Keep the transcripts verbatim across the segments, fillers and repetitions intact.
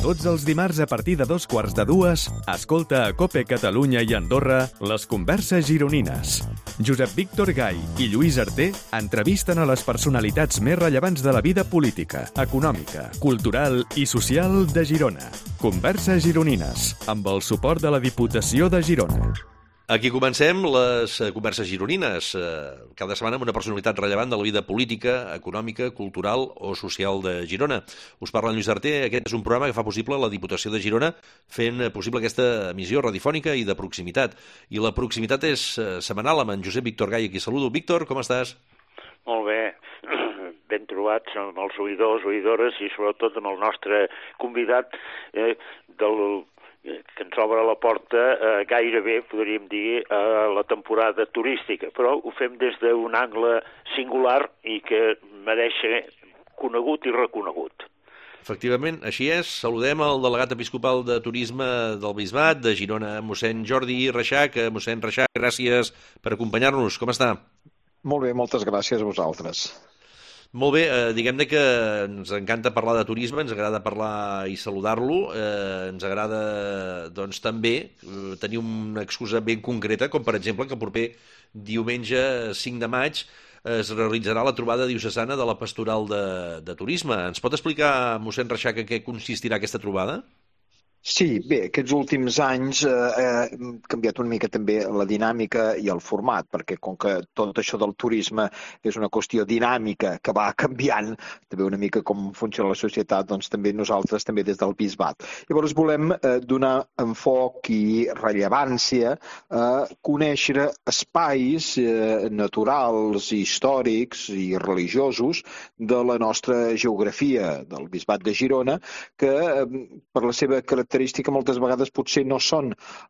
Tots els dimarts a partir de dos quarts de dues, escolta a COPE Catalunya i Andorra les converses gironines. Josep Víctor Gai i Lluís Arter entrevisten a les personalitats més rellevants de la vida política, econòmica, cultural i social de Girona. Converses gironines, amb el suport de la Diputació de Girona. Aquí comencem les converses gironines, cada setmana amb una personalitat rellevant de la vida política, econòmica, cultural o social de Girona. Us parla en Lluís Arter, aquest és un programa que fa possible la Diputació de Girona fent possible aquesta emissió radiofònica i de proximitat. I la proximitat és setmanal amb en Josep Víctor Gai, aquí saludo. Víctor, com estàs? Molt bé, ben trobats amb els oïdors, oïdores i sobretot amb el nostre convidat eh, del que ens obre la porta eh, gairebé, podríem dir, a la temporada turística, però ho fem des d'un angle singular i que mereix ser conegut i reconegut. Efectivament, així és. Saludem el delegat episcopal de turisme del Bisbat de Girona, mossèn Jordi Reixac. Mossèn Reixac, gràcies per acompanyar-nos. Com està? Molt bé, moltes gràcies a vosaltres. Molt bé, eh, diguem-ne que ens encanta parlar de turisme, ens agrada parlar i saludar-lo, eh, ens agrada doncs també eh, tenir una excusa ben concreta, com per exemple que el proper diumenge cinc de maig es realitzarà la trobada diocesana de la Pastoral de, de Turisme. Ens pot explicar, mossèn Reixac, en què consistirà aquesta trobada? Sí, bé, aquests últims anys eh, hem canviat una mica també la dinàmica i el format, perquè com que tot això del turisme és una qüestió dinàmica que va canviant, també una mica com funciona la societat, doncs també nosaltres també des del Bisbat. Llavors volem eh, donar enfoc i rellevància a conèixer espais eh, naturals, històrics i religiosos de la nostra geografia del Bisbat de Girona, que eh, per la seva característica característica moltes vegades potser no són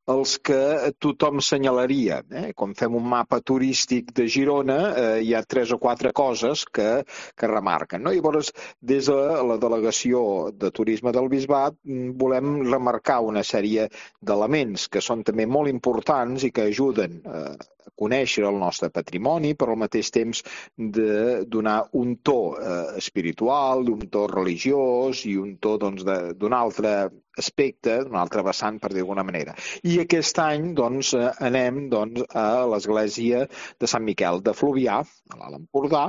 els que tothom senyalaria. Eh? Quan fem un mapa turístic de Girona eh, hi ha tres o quatre coses que, que remarquen. No? I llavors, des de la delegació de turisme del Bisbat volem remarcar una sèrie d'elements que són també molt importants i que ajuden eh, a conèixer el nostre patrimoni, però al mateix temps de donar un to eh, espiritual, un to religiós i un to doncs, d'un altre aspecte, d'un altre vessant, per dir d'alguna manera. I aquest any doncs, anem doncs, a l'església de Sant Miquel de Fluvià, a l'Alt Empordà,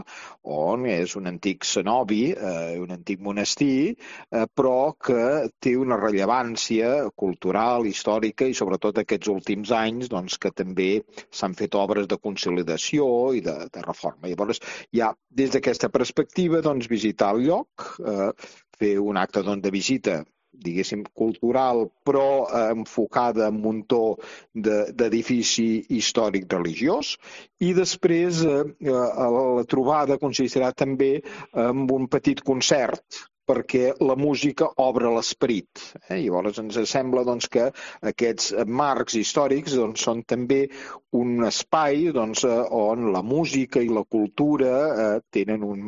on és un antic cenobi, eh, un antic monestir, eh, però que té una rellevància cultural, històrica i sobretot aquests últims anys doncs, que també s'han fet obres de consolidació i de, de reforma. Llavors, ja des d'aquesta perspectiva, doncs, visitar el lloc, eh, fer un acte doncs, de visita diguéssim, cultural, però eh, enfocada en un to d'edifici històric religiós. I després eh, la trobada consistirà també en un petit concert, perquè la música obre l'esperit. Eh? Llavors ens sembla doncs, que aquests marcs històrics doncs, són també un espai doncs, on la música i la cultura eh, tenen un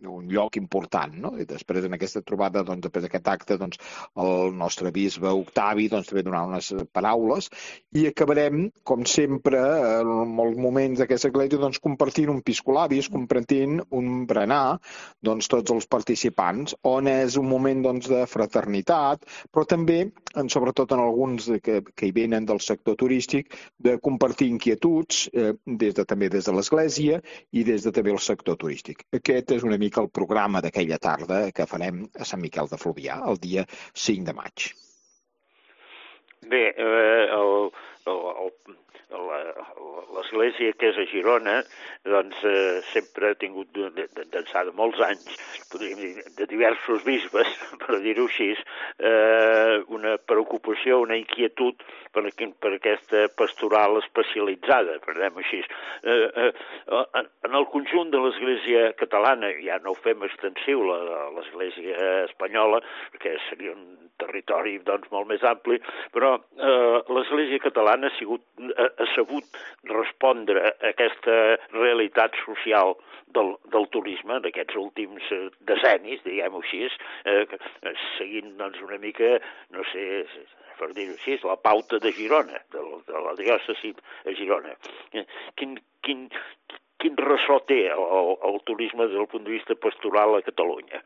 un lloc important, no? I després en aquesta trobada, doncs, després d'aquest acte, doncs, el nostre bisbe Octavi doncs, també donarà unes paraules i acabarem, com sempre, en molts moments d'aquesta església, doncs, compartint un piscolabis, compartint un berenar, doncs, tots els participants, on és un moment doncs, de fraternitat, però també, sobretot en alguns que, que hi venen del sector turístic, de compartir inquietuds, eh, des de, també des de l'església i des de també el sector turístic. Aquest és una mica el programa d'aquella tarda que farem a Sant Miquel de Fluvià, el dia cinc de maig. Bé, eh, el, el, l'església que és a Girona doncs, eh, sempre ha tingut d'ençà de molts anys, podríem dir, de diversos bisbes, per dir-ho així, eh, una preocupació, una inquietud per, per aquesta pastoral especialitzada, per dir-ho així. Eh, eh, en el conjunt de l'església catalana, ja no ho fem extensiu a l'església espanyola, perquè seria un territori doncs, molt més ampli, però eh, l'església catalana ha, sigut, ha, ha sabut respondre a aquesta realitat social del, del turisme d'aquests últims eh, decennis, diguem-ho així, eh, seguint doncs, una mica, no sé, per dir-ho així, la pauta de Girona, de, de la diòcesi a Girona. Quin, quin, quin ressò té el, el turisme des del punt de vista pastoral a Catalunya?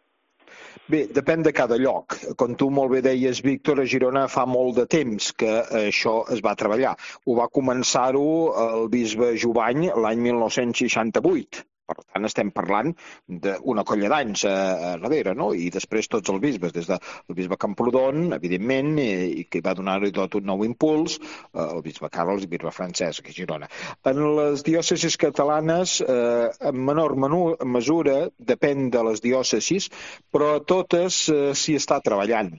Bé, depèn de cada lloc. Com tu molt bé deies, Víctor, a Girona fa molt de temps que això es va treballar. Ho va començar-ho el bisbe Jubany l'any mil nou-cents seixanta-vuit. Per tant, estem parlant d'una colla d'anys a darrere, no? I després tots els bisbes, des del bisbe Camprodon, evidentment, i que va donar-hi tot un nou impuls, el bisbe Carles i el bisbe Francesc a Girona. En les diòcesis catalanes, eh, en menor mesura, depèn de les diòcesis, però a totes eh, s'hi està treballant.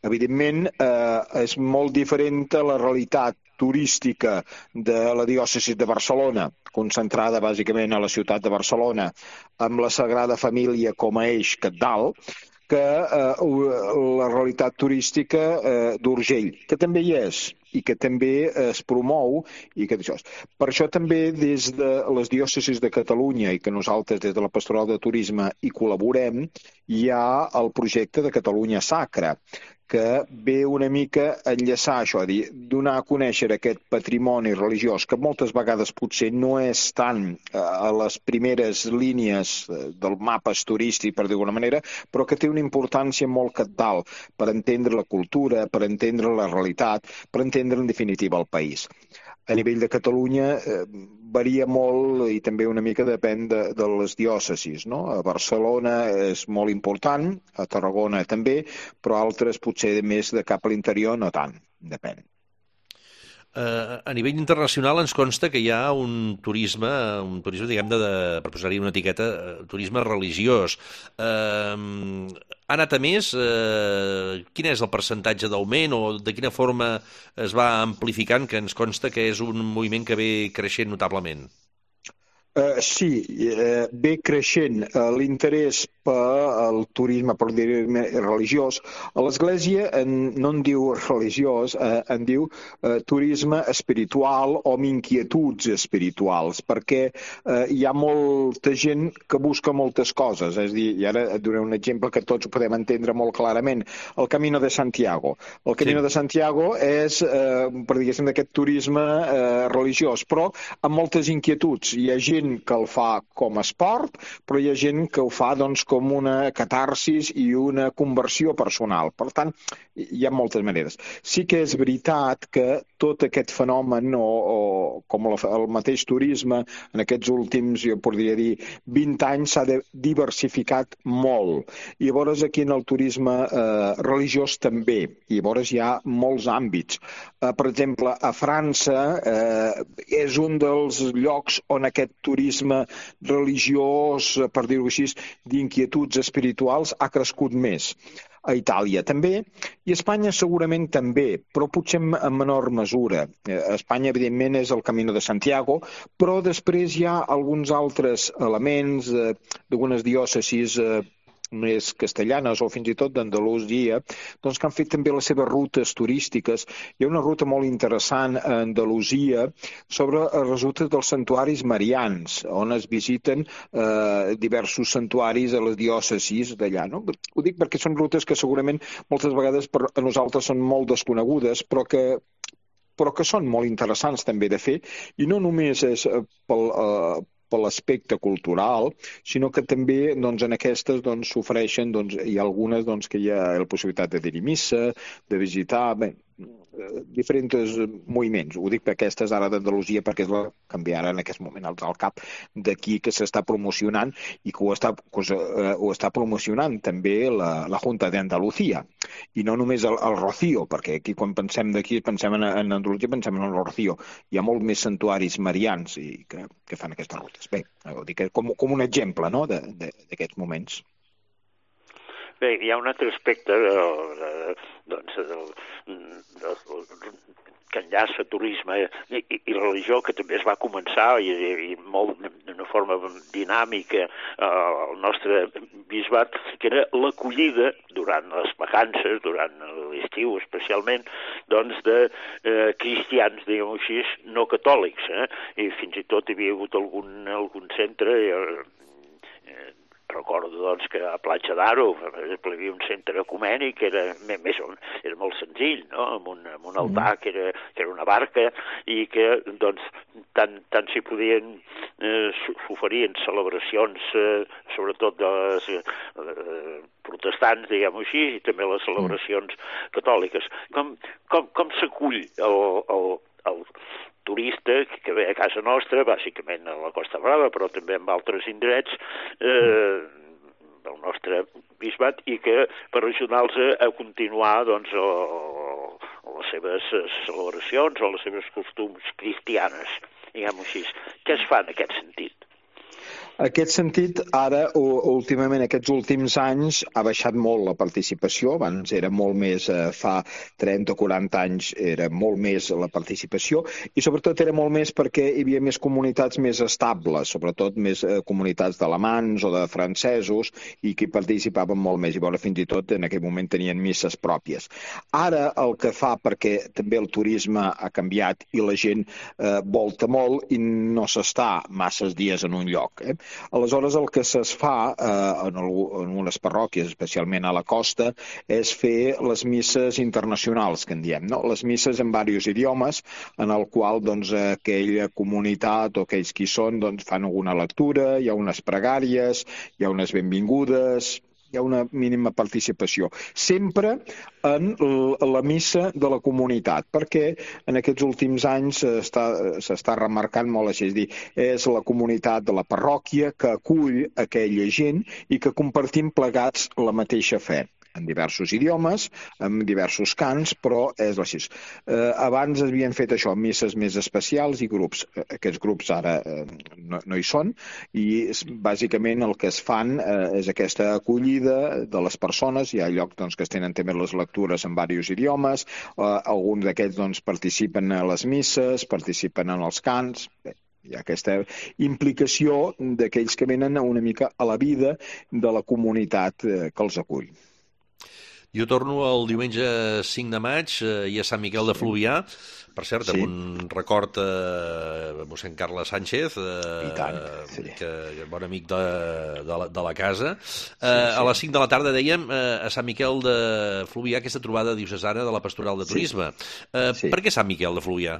Evidentment, eh, és molt diferent a la realitat turística de la diòcesi de Barcelona, concentrada bàsicament a la ciutat de Barcelona, amb la Sagrada Família com a eix cabdal, que eh, la realitat turística eh, d'Urgell, que també hi és i que també es promou. I que això. Per això també des de les diòcesis de Catalunya i que nosaltres des de la Pastoral de Turisme hi col·laborem, hi ha el projecte de Catalunya Sacra, que ve una mica a enllaçar això, a dir, donar a conèixer aquest patrimoni religiós que moltes vegades potser no és tant a les primeres línies del mapes turístic, per dir d'alguna manera, però que té una importància molt cabdal per entendre la cultura, per entendre la realitat, per entendre en definitiva el país. A nivell de Catalunya eh, varia molt i també una mica depèn de, de les diòcesis, no? A Barcelona és molt important, a Tarragona també, però altres potser més de cap a l'interior no tant, depèn. Uh, a nivell internacional ens consta que hi ha un turisme, un turisme, diguem-ne, de, per posar-hi una etiqueta, uh, turisme religiós. Uh, ha anat a més? Uh, quin és el percentatge d'augment o de quina forma es va amplificant, que ens consta que és un moviment que ve creixent notablement? Uh, sí, uh, ve creixent uh, l'interès pel turisme, per dir-ne, religiós. A l'Església en, no en diu religiós, eh, en diu eh, turisme espiritual o amb inquietuds espirituals, perquè eh, hi ha molta gent que busca moltes coses. És a dir, i ara et donaré un exemple que tots ho podem entendre molt clarament. El Camino de Santiago. El Camino sí. de Santiago és, eh, per diguéssim, d'aquest turisme eh, religiós, però amb moltes inquietuds. Hi ha gent que el fa com a esport, però hi ha gent que ho fa, doncs, com una catarsis i una conversió personal. Per tant, hi ha moltes maneres. Sí que és veritat que tot aquest fenomen, o, o com el, el mateix turisme, en aquests últims, jo podria dir, vint anys s'ha diversificat molt. I llavors aquí en el turisme eh, religiós també. I llavors hi ha molts àmbits. Eh, per exemple, a França eh, és un dels llocs on aquest turisme religiós, per dir-ho així, d'inquietuds espirituals ha crescut més. A Itàlia també, i a Espanya segurament també, però potser en menor mesura. A Espanya, evidentment, és el Camino de Santiago, però després hi ha alguns altres elements eh, d'algunes diòcesis eh, més castellanes o fins i tot d'Andalusia, doncs que han fet també les seves rutes turístiques. Hi ha una ruta molt interessant a Andalusia sobre les rutes dels santuaris marians, on es visiten eh, diversos santuaris a les diòcesis d'allà. No? Ho dic perquè són rutes que segurament moltes vegades per a nosaltres són molt desconegudes, però que però que són molt interessants també de fer, i no només és pel, eh, per l'aspecte cultural, sinó que també doncs, en aquestes doncs, s'ofereixen, doncs, hi ha algunes doncs, que hi ha la possibilitat de dir-hi missa, de visitar, bé, diferents moviments. Ho dic per aquestes ara d'Andalusia perquè és la que em ve ara en aquest moment al cap d'aquí que s'està promocionant i que ho està, que ho està promocionant també la, la Junta d'Andalucía. I no només el, el Rocío, perquè aquí quan pensem d'aquí pensem en, en Andalusia, pensem en el Rocío. Hi ha molt més santuaris marians i que, que fan aquestes rutes. Bé, ho dic com, com un exemple, no?, d'aquests moments. Bé, hi ha un altre aspecte de, de, doncs, del, del, que enllaça turisme i, i, i religió, que també es va començar i, i molt d'una forma dinàmica eh, al nostre bisbat, que era l'acollida durant les vacances, durant l'estiu especialment, doncs de eh, cristians, diguem-ho així, no catòlics, eh? I fins i tot hi havia hagut algun, algun centre eh, recordo doncs, que a Platja d'Aro, per exemple, hi havia un centre ecumènic que era, més, era molt senzill, no? amb, un, amb un altar que era, que era una barca, i que doncs, tant, tant s'hi podien eh, s'oferien celebracions, eh, sobretot de les eh, protestants, diguem-ho així, i també les celebracions catòliques. Com, com, com s'acull el, el, el turista que ve a casa nostra, bàsicament a la Costa Brava, però també en altres indrets eh, del nostre bisbat, i que per ajudar-los a continuar doncs, o, o les seves celebracions o les seves costums cristianes, diguem-ho així. Què es fa en aquest sentit? En aquest sentit, ara, últimament, aquests últims anys, ha baixat molt la participació. Abans era molt més, eh, fa trenta o quaranta anys, era molt més la participació, i sobretot era molt més perquè hi havia més comunitats més estables, sobretot més eh, comunitats d'alemans o de francesos, i que participaven molt més, i veure, fins i tot en aquell moment tenien misses pròpies. Ara el que fa, perquè també el turisme ha canviat i la gent eh, volta molt i no s'està masses dies en un lloc, eh? Aleshores, el que es fa eh, en, en unes parròquies, especialment a la costa, és fer les misses internacionals, que en diem, no? Les misses en diversos idiomes, en el qual doncs, aquella comunitat o aquells qui són doncs, fan alguna lectura, hi ha unes pregàries, hi ha unes benvingudes, hi ha una mínima participació. Sempre en la missa de la comunitat, perquè en aquests últims anys s'està remarcant molt, així és dir, és la comunitat de la parròquia que acull aquella gent i que compartim plegats la mateixa fe, en diversos idiomes, amb diversos cants, però és així. Eh, abans havien fet això, misses més especials i grups. Aquests grups ara eh, no, no hi són, i bàsicament el que es fan eh, és aquesta acollida de les persones. Hi ha llocs doncs, que es tenen també les lectures en diversos idiomes, eh, alguns d'aquests doncs, participen a les misses, participen en els cants. Bé, hi ha aquesta implicació d'aquells que venen una mica a la vida de la comunitat eh, que els acull. Jo torno el diumenge cinc de maig eh, i a Sant Miquel de Fluvià, per cert, sí. amb un record a eh, mossèn Carles Sánchez, eh, I tant, sí. que, que bon amic de, de, la, de la casa. Eh, sí, sí. A les cinc de la tarda, dèiem, eh, a Sant Miquel de Fluvià, aquesta trobada diocesana de la Pastoral de Turisme. Sí. Eh, sí. Per què Sant Miquel de Fluvià?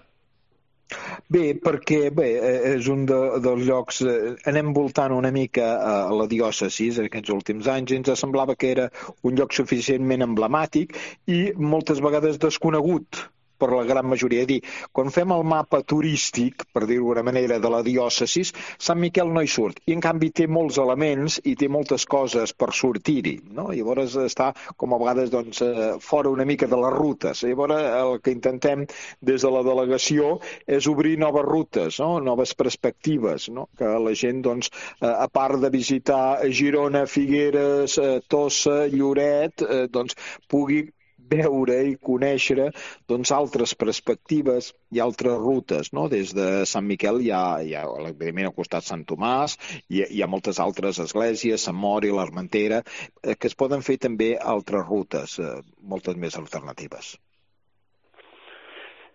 Bé, perquè bé, és un de, dels llocs, eh, anem voltant una mica a la diòcesi en aquests últims anys, i ens semblava que era un lloc suficientment emblemàtic i moltes vegades desconegut per la gran majoria. És dir, quan fem el mapa turístic, per dir-ho d'una manera, de la diòcesi, Sant Miquel no hi surt, i en canvi té molts elements i té moltes coses per sortir-hi, no? Llavors està, com a vegades, doncs, fora una mica de les rutes. Llavors el que intentem des de la delegació és obrir noves rutes, no? Noves perspectives, no? Que la gent, doncs, a part de visitar Girona, Figueres, Tossa, Lloret, doncs, pugui veure i conèixer doncs, altres perspectives i altres rutes, no? Des de Sant Miquel hi ha, hi ha evidentment, al costat Sant Tomàs, hi ha, hi ha moltes altres esglésies, Sant Mori, l'Armentera, eh, que es poden fer també altres rutes, eh, moltes més alternatives.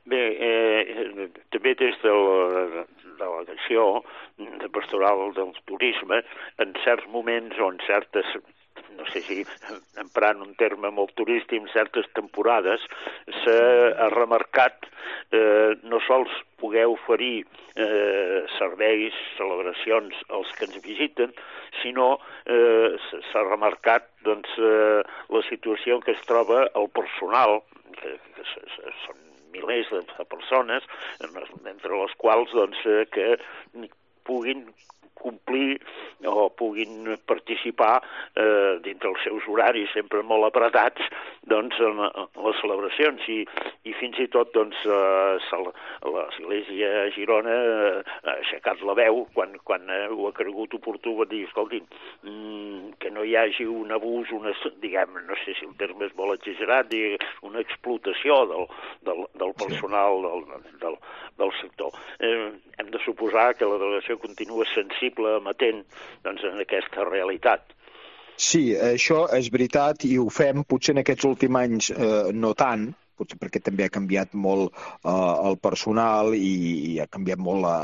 Bé, eh, també des de la delegació de Pastoral del Turisme, en certs moments o en certes, no sé si emprant un terme molt turístic, en certes temporades s'ha remarcat eh, no sols poder oferir eh, serveis, celebracions als que ens visiten, sinó eh, s'ha remarcat doncs, eh, la situació en què es troba el personal, que, que són milers de persones, entre les quals doncs, eh, que puguin complir o puguin participar eh, dintre els seus horaris sempre molt apretats doncs, en, en les celebracions i, i fins i tot doncs, eh, l'Església a Girona eh, ha aixecat la veu quan, quan eh, ho ha cregut oportú va dir, escolti, mm, que no hi hagi un abús, una, diguem, no sé si el terme és molt exagerat, diguem, una explotació del, del, del personal del, del, del sector. Eh, hem de suposar que la delegació continua sensible, amatent doncs, en aquesta realitat. Sí, això és veritat i ho fem, potser en aquests últims anys eh, no tant, potser perquè també ha canviat molt eh, el personal i, i ha canviat molt la,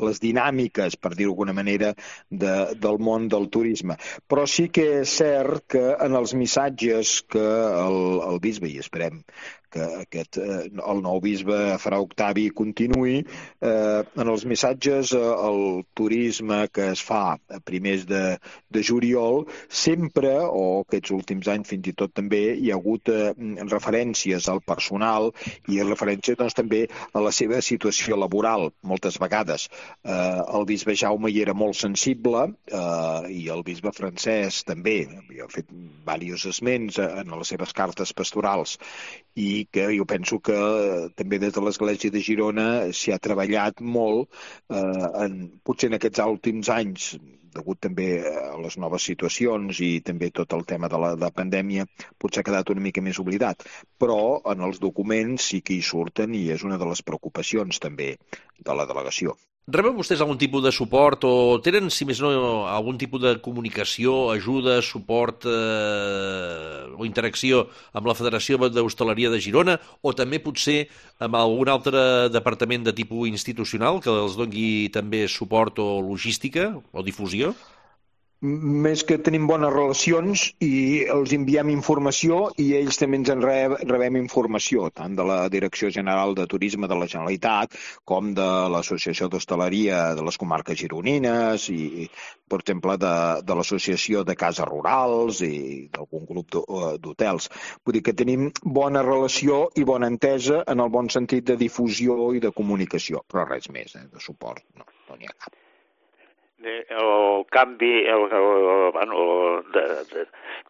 les dinàmiques, per dir-ho d'alguna manera, de, del món del turisme. Però sí que és cert que en els missatges que el, el bisbe, i esperem que aquest, eh, el nou bisbe Fra Octavi continuï, eh, en els missatges eh, el turisme que es fa a primers de, de juliol, sempre, o aquests últims anys fins i tot també, hi ha hagut eh, referències al personal i referències doncs, també a la seva situació laboral, moltes vegades. Eh, el bisbe Jaume hi era molt sensible eh, i el bisbe Francesc també, havia fet diversos esments en les seves cartes pastorals, i que jo penso que també des de l'Església de Girona s'hi ha treballat molt, eh, en, potser en aquests últims anys, degut també a les noves situacions i també tot el tema de la, de la pandèmia, potser ha quedat una mica més oblidat. Però en els documents sí que hi surten i és una de les preocupacions també de la delegació. Reben vostès algun tipus de suport o tenen, si més no, algun tipus de comunicació, ajuda, suport eh, o interacció amb la Federació d'Hostaleria de Girona o també potser amb algun altre departament de tipus institucional que els doni també suport o logística o difusió? Més que tenim bones relacions i els enviem informació i ells també ens en rebem informació, tant de la Direcció General de Turisme de la Generalitat com de l'Associació d'Hostaleria de les Comarques Gironines i, per exemple, de, de l'Associació de Cases Rurals i d'algun grup d'hotels. Vull dir que tenim bona relació i bona entesa en el bon sentit de difusió i de comunicació, però res més, eh, de suport, no, no n'hi ha cap. El canvi el, el, bueno, de, de,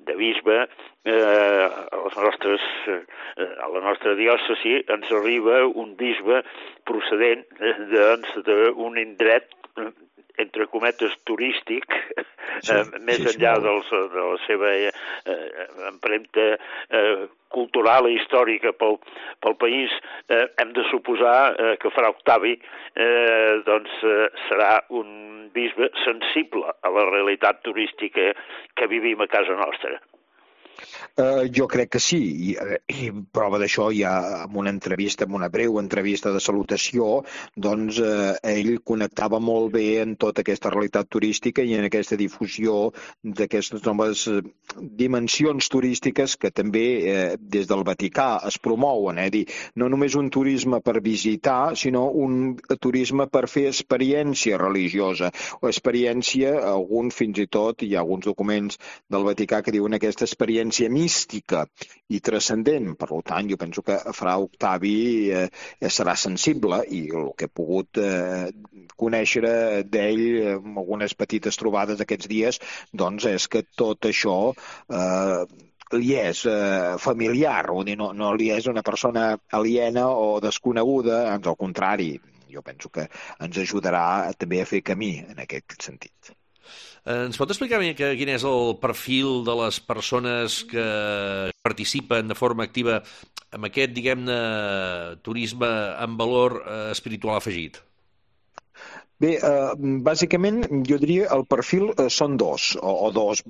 de bisbe eh, a, les nostres, eh, a la nostra diòcesi ens arriba un bisbe procedent d'un indret entre cometes turístic, sí, eh, més sí, enllà dels, de la seva eh, empremta eh, cultural i històrica pel, pel país, eh, hem de suposar eh, que Fra Octavi eh, doncs, eh, serà un bisbe sensible a la realitat turística que vivim a casa nostra. Uh, jo crec que sí, I, i prova d'això hi ha en una entrevista, en una breu entrevista de salutació, doncs uh, ell connectava molt bé en tota aquesta realitat turística i en aquesta difusió d'aquestes noves dimensions turístiques que també eh, des del Vaticà es promouen, eh? Dir, no només un turisme per visitar, sinó un turisme per fer experiència religiosa o experiència, algun fins i tot, hi ha alguns documents del Vaticà que diuen aquesta experiència mística i transcendent. Per tant, jo penso que Fra Octavi eh, serà sensible i el que he pogut eh, conèixer d'ell en algunes petites trobades aquests dies, doncs és que tot això eh, li és eh, familiar, o dir, no, no li és una persona aliena o desconeguda, ans al contrari, jo penso que ens ajudarà també a fer camí en aquest sentit. Ens pot explicar quin és el perfil de les persones que participen de forma activa en aquest, diguem-ne, turisme amb valor espiritual afegit? Bé, eh, bàsicament, jo diria el perfil eh, són dos, o, o dos,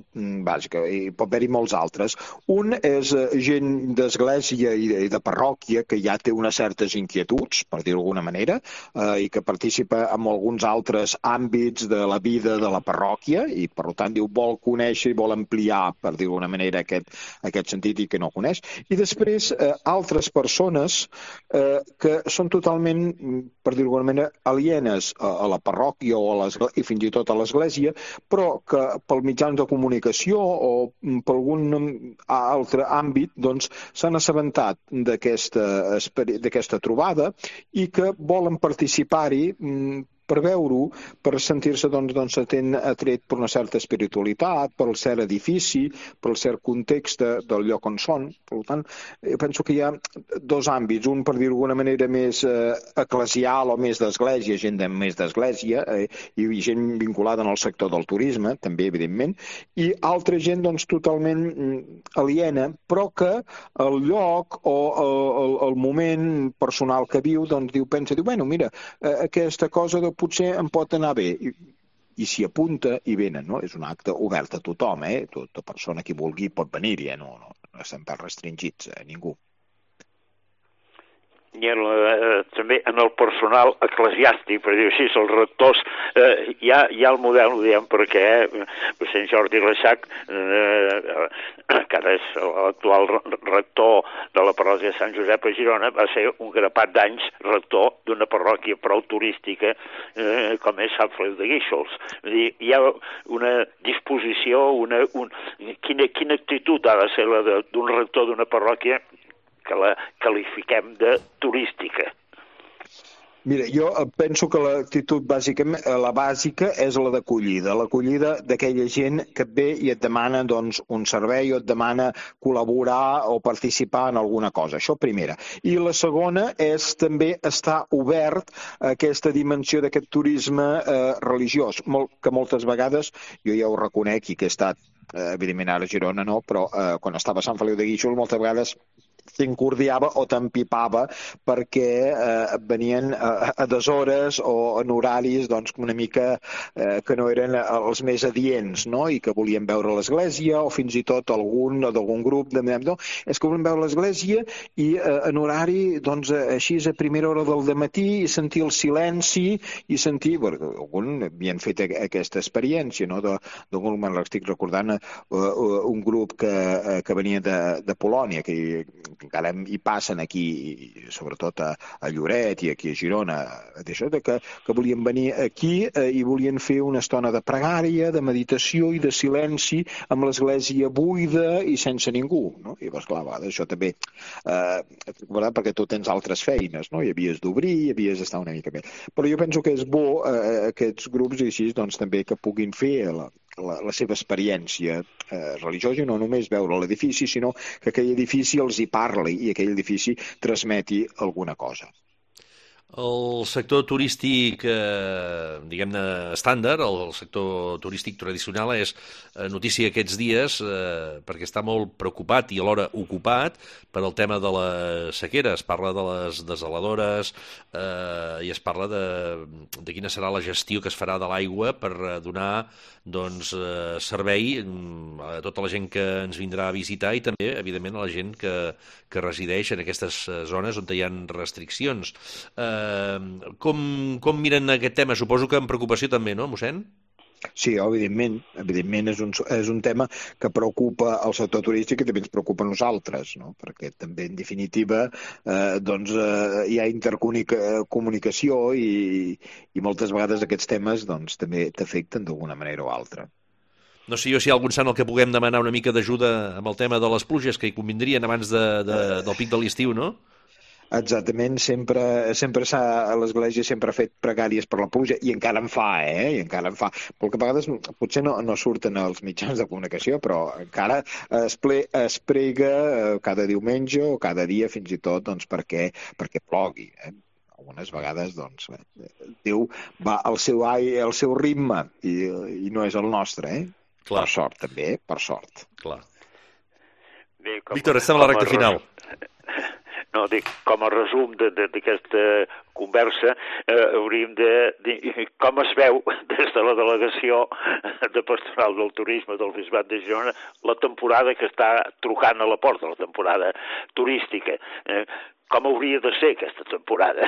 bàsica, i pot haver-hi molts altres. Un és eh, gent d'església i, de, i de parròquia que ja té unes certes inquietuds, per dir-ho d'alguna manera, eh, i que participa en alguns altres àmbits de la vida de la parròquia i, per tant, diu, vol conèixer i vol ampliar, per dir-ho d'alguna manera, aquest, aquest sentit i que no coneix. I després, eh, altres persones eh, que són totalment, per dir-ho d'alguna manera, alienes a, a la la parròquia o a i fins i tot a l'església, però que pel mitjans de comunicació o per algun altre àmbit doncs, s'han assabentat d'aquesta trobada i que volen participar-hi per veure-ho, per sentir-se doncs, doncs, atret per una certa espiritualitat, pel cert edifici, pel cert context del lloc on són. Per tant, penso que hi ha dos àmbits, un, per dir-ho d'alguna manera, més eh, eclesial o més d'església, gent de, més d'església, eh, i gent vinculada en el sector del turisme, també, evidentment, i altra gent doncs, totalment aliena, però que el lloc o el, el moment personal que viu, doncs, diu, pensa, diu, bueno, mira, eh, aquesta cosa de potser em pot anar bé, i, i s'hi apunta i venen, no? És un acte obert a tothom, eh? Tota persona que vulgui pot venir-hi, eh? No, no, no estem pas restringits a ningú. i en, eh, també en el personal eclesiàstic, per dir-ho així, els rectors, eh, hi, ha, hi ha el model, ho diem perquè eh, Sant Jordi Reixac, eh, que ara és l'actual rector de la parròquia de Sant Josep a Girona, va ser un grapat d'anys rector d'una parròquia prou turística eh, com és Sant Feliu de Guíxols. Dir, hi ha una disposició, una, un, quina, quina actitud ha de ser la d'un rector d'una parròquia que la qualifiquem de turística. Mira, jo penso que l'actitud bàsica, la bàsica és la d'acollida, l'acollida d'aquella gent que et ve i et demana doncs, un servei o et demana col·laborar o participar en alguna cosa. Això primera. I la segona és també estar obert a aquesta dimensió d'aquest turisme eh, religiós, molt, que moltes vegades, jo ja ho reconec i que he estat, eh, evidentment ara a Girona no, però eh, quan estava a Sant Feliu de Guíxols moltes vegades t'encordiava o t'empipava perquè eh, venien a, a deshores o en horaris doncs, una mica eh, que no eren els més adients, no? I que volien veure l'església o fins i tot algun d'algun grup de no, és que volien veure l'església i eh, en horari doncs, així a primera hora del dematí i sentir el silenci i sentir, bueno, algun havien fet aquesta experiència, no? D'algun me'n l'estic recordant uh, uh, un grup que, uh, que venia de, de Polònia, que encara hi passen aquí, sobretot a, a Lloret i aquí a Girona, d'això de que, que volien venir aquí eh, i volien fer una estona de pregària, de meditació i de silenci amb l'església buida i sense ningú, no? I llavors, clar, va, això també, eh, perquè tu tens altres feines, no? I havies d'obrir, i havies d'estar una mica més. Però jo penso que és bo eh, aquests grups i així, doncs, també que puguin fer la, La, la seva experiència eh, religiosa i no només veure l'edifici, sinó que aquell edifici els hi parli i aquell edifici transmeti alguna cosa. El sector turístic, eh, diguem-ne, estàndard, el sector turístic tradicional és eh, notícia aquests dies eh, perquè està molt preocupat i alhora ocupat per el tema de la sequera. Es parla de les desaladores eh, i es parla de, de quina serà la gestió que es farà de l'aigua per donar doncs, eh, servei a tota la gent que ens vindrà a visitar i també, evidentment, a la gent que, que resideix en aquestes zones on hi ha restriccions. Eh, com, com miren aquest tema? Suposo que amb preocupació també, no, mossèn? Sí, evidentment. Evidentment és un, és un tema que preocupa el sector turístic i també ens preocupa a nosaltres, no? Perquè també, en definitiva, eh, doncs, eh, hi ha intercomunicació i, i moltes vegades aquests temes doncs, també t'afecten d'alguna manera o altra. No sé jo si hi ha algun sant al que puguem demanar una mica d'ajuda amb el tema de les pluges que hi convindrien abans de, de, del pic de l'estiu, no? Exactament, sempre, sempre s'ha, l'Església sempre ha fet pregàries per la pluja i encara en fa, eh? I encara en fa. Perquè a vegades potser no, no surten als mitjans de comunicació, però encara es, ple, es prega cada diumenge o cada dia fins i tot doncs, perquè, perquè plogui, eh? Algunes vegades, doncs, Déu va al seu, al seu ritme i, i no és el nostre, eh? Clar. Per sort, també, per sort. Clar. Bé, com, Víctor, estem a la recta final. No, dic, com a resum d'aquesta conversa, eh, hauríem de dir com es veu des de la delegació de Pastoral del Turisme del Bisbat de Girona la temporada que està trucant a la porta, la temporada turística. Eh, com hauria de ser aquesta temporada?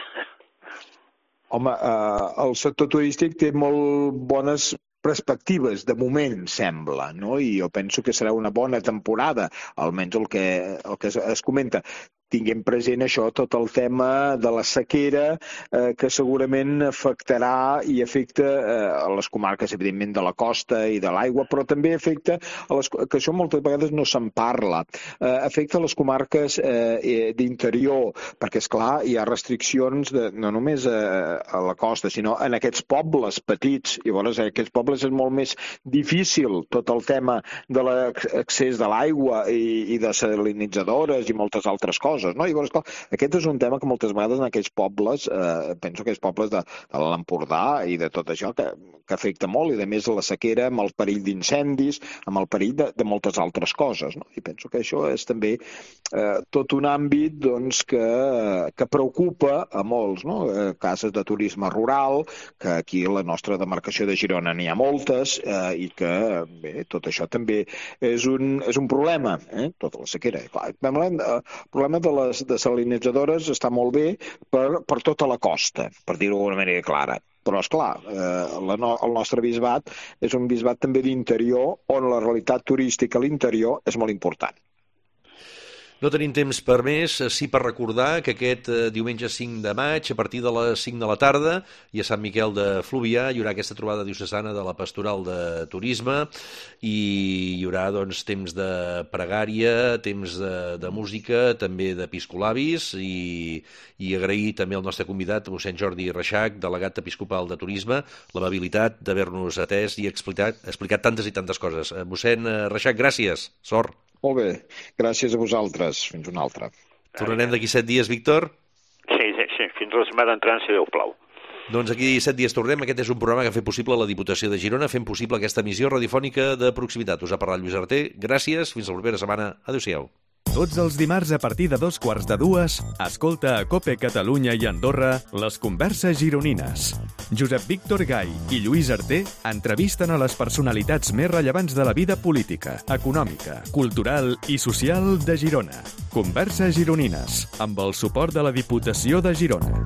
Home, eh, el sector turístic té molt bones perspectives, de moment, sembla, no? I jo penso que serà una bona temporada, almenys el que, el que es, es comenta. Tinguem present això, tot el tema de la sequera, eh, que segurament afectarà i afecta eh, a les comarques, evidentment, de la costa i de l'aigua, però també afecta, a les, que això moltes vegades no se'n parla, eh, afecta les comarques eh, d'interior, perquè, esclar, hi ha restriccions de, no només a, a la costa, sinó en aquests pobles petits, i llavors en aquests pobles és molt més difícil tot el tema de l'accés de l'aigua i, i de salinitzadores i moltes altres coses. No? I llavors, clar, aquest és un tema que moltes vegades en aquells pobles, eh, penso que aquells pobles de, de l'Empordà i de tot això, que, que afecta molt, i a més la sequera amb el perill d'incendis, amb el perill de, de moltes altres coses. No? I penso que això és també eh, tot un àmbit doncs, que, que preocupa a molts. No? Eh, cases de turisme rural, que aquí a la nostra demarcació de Girona n'hi ha moltes, eh, i que bé, tot això també és un, és un problema, eh? Tota la sequera. Clar, el problema de de les desalinitzadores està molt bé per, per tota la costa, per dir-ho d'una manera clara. Però, esclar, eh, la no, el nostre bisbat és un bisbat també d'interior, on la realitat turística a l'interior és molt important. No tenim temps per més, sí per recordar que aquest diumenge cinc de maig, a partir de les cinc de la tarda, i a Sant Miquel de Fluvià hi haurà aquesta trobada diocesana de la Pastoral de Turisme i hi haurà doncs, temps de pregària, temps de, de música, també d'episcolabis i, i agrair també al nostre convidat, mossèn Jordi Reixach, delegat episcopal de Turisme, l'amabilitat d'haver-nos atès i explicat, explicat tantes i tantes coses. Mossèn Reixach, gràcies. Sort. Molt bé, gràcies a vosaltres. Fins una altra. Tornarem d'aquí set dies, Víctor? Sí, sí, sí. Fins la setmana entrant, si Déu plau. Doncs aquí set dies tornem. Aquest és un programa que ha fet possible la Diputació de Girona, fent possible aquesta emissió radiofònica de proximitat. Us ha parlat Lluís Arter. Gràcies, fins la propera setmana. Adéu-siau. Tots els dimarts a partir de dos quarts de dues, escolta a COPE Catalunya i Andorra les converses gironines. Josep Víctor Gai i Lluís Arter entrevisten a les personalitats més rellevants de la vida política, econòmica, cultural i social de Girona. Converses gironines, amb el suport de la Diputació de Girona.